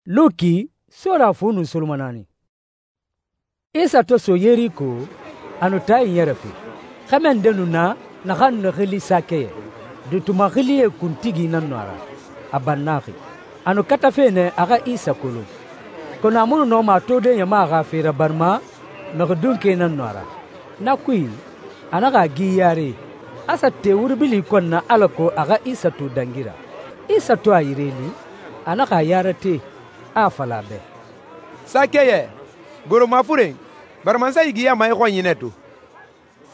Luki sora fu nun soloma 4. Isa to so Yeriko, a nu taae ɲɛrɛfe. Xɛmɛ nde nu na naxan nu xili Sakɛyɛ. Duutuma xilie kuntigi nan nu a ra, a bannaxi. A nu katafe nɛ a xa Isa kolon, kɔnɔ a mu nu nɔma a tode ɲama xa fe ra barima mixi dunke nan nu a ra. Na kui, a naxa a gi yare, a sa te wuri bili kɔn na alako a xa Isa to dangi ra. Isa to a yire li, a naxa a ya rate, a a fala a bɛ, «Sakɛyɛ, goro mafuren, barima n sa yigiyama i xɔnyi nɛ to.»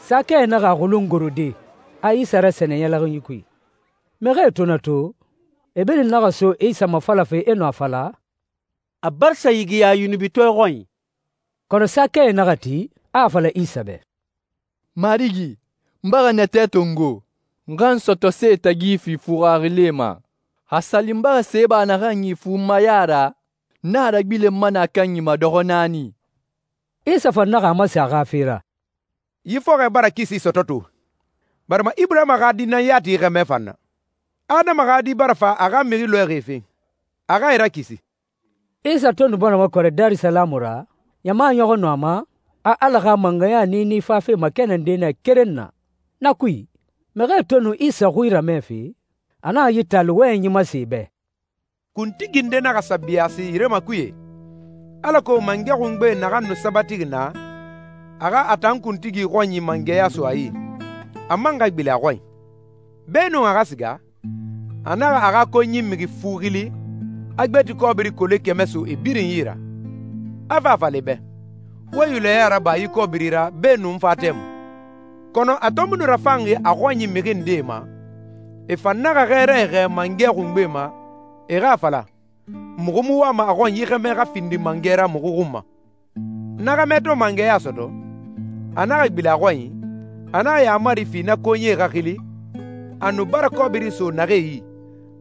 Sakɛyɛ naxa a xulun gorode, a Isa rasɛnɛ ɲɛlɛxinyi kui. Mixie to na to, e birin naxa so Isa mafalafe e nu a fala, «A barisa yigiya yunubitɔɛ xɔnyi.» Kɔnɔ Sakɛyɛ naxa ti, a a fala Isa bɛ, «Marigi, n bara natɛ tongo. N xa n sɔtɔ see tagi fi fuxaxilie ma. Xa sali n bara seba naxan yi fu n ma ya ra, n a ragbilenma nɛ a kanyi ma dɔxɔ 4.» Isa fan naxa a masen a xa fe ra, «Yi fɔxɔɛ bara kisi sɔtɔ to, barima Iburahima xa di nan yati xɛmɛ fan na. Adama xa di bara fa a xa mixi lɔɛxi fen, a xa e rakisi.» Isa to nu bɔnɔma kɔrɛ Darisalamu ra, ɲama ɲɔxɔ nu a ma, a Ala xa mangɛya niini fafe makɛnɛnde nɛ keren na. Na kui, mixie to nu Isa xui ramɛfe, a naxa yi taali wɔyɛnyi masen e bɛ, Kuntigi nde naxa sa biyaasi yire ma kuye, alako mangɛ xungbe naxan nu sabatixi na, a xa a tan kuntigi xɔnyi mangɛya so a yi, a man xa gbilen a xɔnyi. Beenun a xa siga, a naxa a xa konyi mixi fu xili, a gbeti kɔbiri kole 100 so e birin yi ra, a fa a fala e bɛ, wo yulɛya raba yi kɔbiri ra beenun fa tɛmui. Kɔnɔ a to mu nu rafanxi a xɔnyi mixi ndee ma, e fan naxa xɛɛrae xɛɛ mangɛ xungbe ma, e xa a fala, muxu mu wama a xɔnyi xɛmɛ xa findi mangɛ ra muxu xun ma. Na xɛmɛ to mangɛya sɔtɔ, a naxa gbilen a xɔnyi, a naxa yaamari fi na konyie xa xili, a nu bara kɔbiri so naxee yi,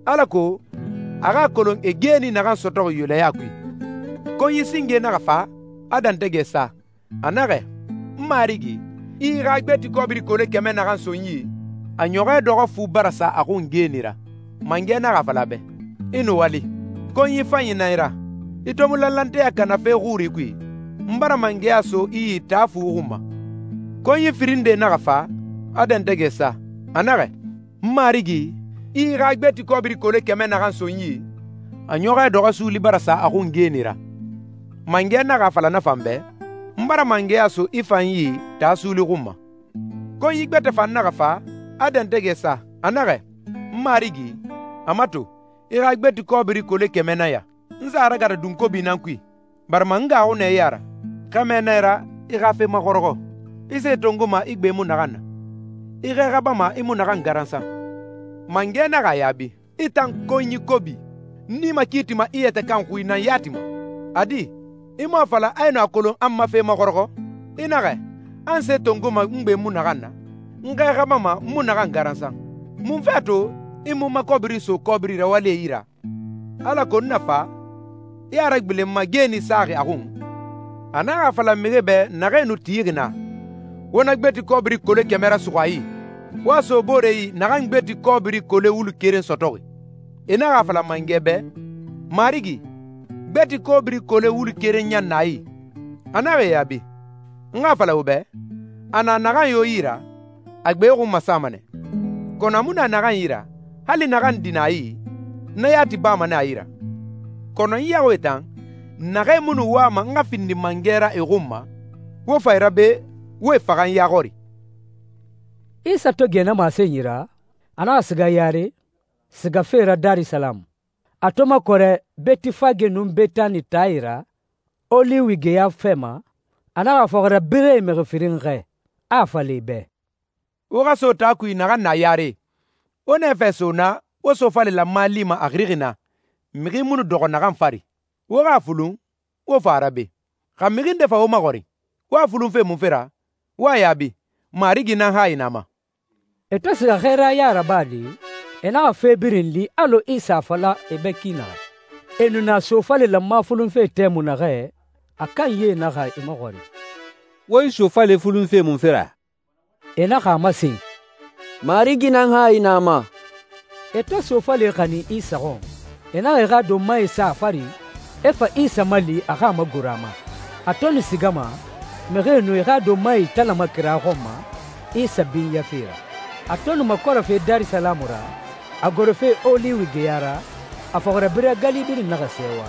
alako a xa a kolon e geeni naxan sɔtɔxi yulɛya kui. Konyi singe naxa fa, a dantɛgɛ sa. A naxɛ, «N marigi, i xa gbeti kɔbiri kole 100 naxan so n yi, a ɲɔxɔɛ dɔxɔ fu bara sa a xun geeni ra.» Mangɛ naxa fala a bɛ, «I nu wali, konyi fanyi nan i ra. I to mu lanlanteya kana fe xuri kui, n bara mangɛya so i yi taa fu xun ma.» Konyi firin nde naxa fa, a dantɛgɛ sa. A naxɛ, «N marigi, i xa gbeti kɔbiri kole 100 naxan so n yi, a ɲɔxɔɛ dɔxɔ suuli bara sa a xun geeni ra.» Mangɛ naxa fala na fan bɛ, «N bara mangɛya so i fan yi taa suuli xun ma.» Konyi gbɛtɛ fan naxa fa, a dantɛgɛ sa. A naxɛ, «N marigi, a mato, i xa gbeti kɔbiri kole 100 na ya. N sa ragata dunkobi nan kui, barima n gaaxu nɛ i ya ra. Xɛmɛ nɛ ra i xa fe maxɔrɔxɔ. I se tongoma i gbe mu naxan na. I xɛ xabama i mu naxan garansan.» Mangɛ naxa a yaabi, «I tan konyi kobi, n i ma kiitima i yɛtɛ kan xui nan yati ma. A di, i mu a fala a yi nu a kolon an ma fe maxɔrɔxɔ? I naxɛ, an se tongoma n gbe mu naxan na, n xɛ xabama n mu naxan garansan. Mun fɛ to i mu ma kɔbiri so kɔbiri rawalie yi ra? Alako n na fa, i a ragbilen n ma geeni saxi a xun.» A naxa a fala mixie bɛ naxee nu tixi na, «Wo na gbeti kɔbiri kole 100 ra suxu a yi, wo a so boore yi naxan gbeti kɔbiri kole wulu keren sɔtɔxi.» E naxa a fala mangɛ bɛ, «Marigi, gbeti kɔbiri kole wulu keren ɲan na a yi.» A naxa e yaabi, «N xa a fala wo bɛ, a na naxan yo yi ra, a gbe xun masama nɛ. Kɔnɔ a mu na naxan yi ra, hali naxan di na a yi, na yati bama nɛ a yi ra. Kɔnɔ n yaxuie tan, naxee mu nu wama n xa findi mangɛ ra e xun ma, wo fa e ra be, wo e faxa n ya xɔri.» Isa to gɛ na masenyi ra, a naxa siga yare, sigafe ra Darisalamu. A to makɔrɛ Betifage nun Betani taae ra, Oliwi geya fɛ ma, a naxa fɔxira bire mixi firin xɛ, a a fala e bɛ, «Wo xa so taa kui naxan na yare, wo nɛ fɛ so na wo sofale lanma lima a xirixi na, mixi mu nu dɔxɔ naxan fari. Wo xa a fulun, wo fa a ra be. Xa mixi nde fa wo maxɔrin, wo a fulun fe munfe ra? Wo a yaabi, Marigi nan hayi na ma.» E to siga xɛɛraya rabade, e naxa fe birin li alɔ Isa a fala e bɛ ki naxɛ. E nu na sofale lanma fulunfe tɛmu naxɛ, a kan ye naxa e maxɔrin, «Wo i sofale fulunfe munfe ra?» E naxa a masen, «Marigi nan hayi na ma.» E to sofale xanin Isa xɔn, e naxa e xa donmae sa a fari, e fa Isa mali a xa a magoro a ma. A to nu sigama, mixie nu e xa donmae italama kira xɔn ma Isa binyafe ra. A to nu makɔrɔfe Darisalamu ra, a gorofe Oliwi geya ra, a fɔxirabirɛ gali birin naxa sɛɛwa,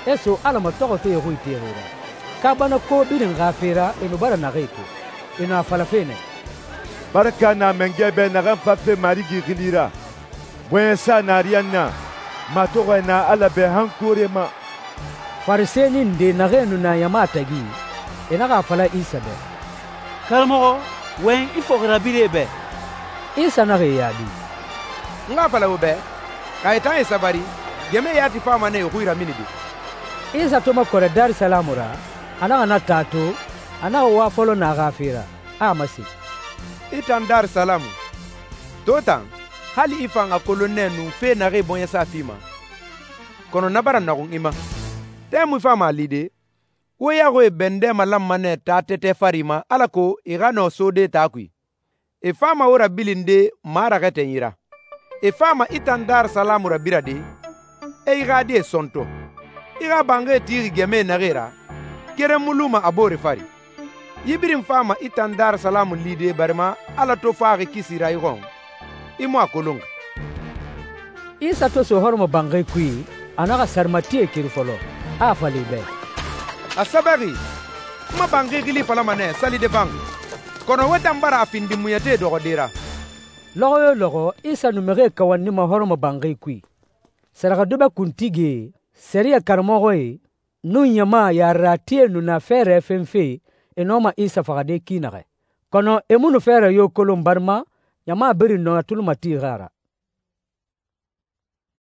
e so Ala matɔxɔfe xui texe ra. Kaabana ko birin xa fe ra e nu bara naxee to. E nu a falafe nɛ: «Baraka na mangɛ bɛ naxan fafe Marigi xili ra. Bɔɲɛsa na ariyanna, matɔxɔɛ na Ala bɛ han koore ma.» Farisɛni nde naxee nu na ɲama tagi, e naxa a fala Isa bɛ: Karamɔxɔ, wɔyɛn i fɔxirabirɛe bɛ. Isa naxa e yaabi: N xa a fala wo bɛ, xa e tan e sabari, gɛmɛ yati fama nɛ e xui raminide. Isa to makɔrɛ Darisalamu ra, a naxa na taa to, a naxa wa fɔlɔ na a xa fe ra, a a masen: I tan Darisalamu, to tan hali i fan a kolon nɛ nu fe naxee bɔɲɛsa fima, kɔnɔ na bara naxun i ma. Tɛmui fama a lide, wo yaxuie bɛndɛ malanma nɛ taa tɛtɛ fari ma alako i xa nɔ sode taa kui. E fama wo rabilinde maraxɛ tɛnyi ra. E fama i tan Darisalamu rabirade, e i xa die sɔntɔ. I xa banxie tixi gɛmɛe naxee ra, keren mu luma a boore fari. Yi birin fama i tan Darisalamu lide barima Ala to faxi kisi ra i xɔn, i mu a kolonxi. Isa to so hɔrɔmɔ banxi kui, a naxa sarimatie keri fɔlɔ, a a fala e bɛ: A sɛbɛxi, n ma banxi xili falama nɛ salide fan, kɔnɔ wo tan bara a findi muɲɛte dɔxɔde ra. Lɔxɔ yo lɔxɔ Isa nu mixie kawannima hɔrɔmɔ banxi kui. Sɛrɛxɛdubɛ kuntigie, sɛriyɛ karamɔxɔe, nun ɲama yareratie nu na fɛɛrɛ fenfe e nɔma Isa faxade ki naxɛ. Kɔnɔ e mu nu fɛɛrɛ yo kolon barima ɲama birin nɔ a tuli matixi a ra.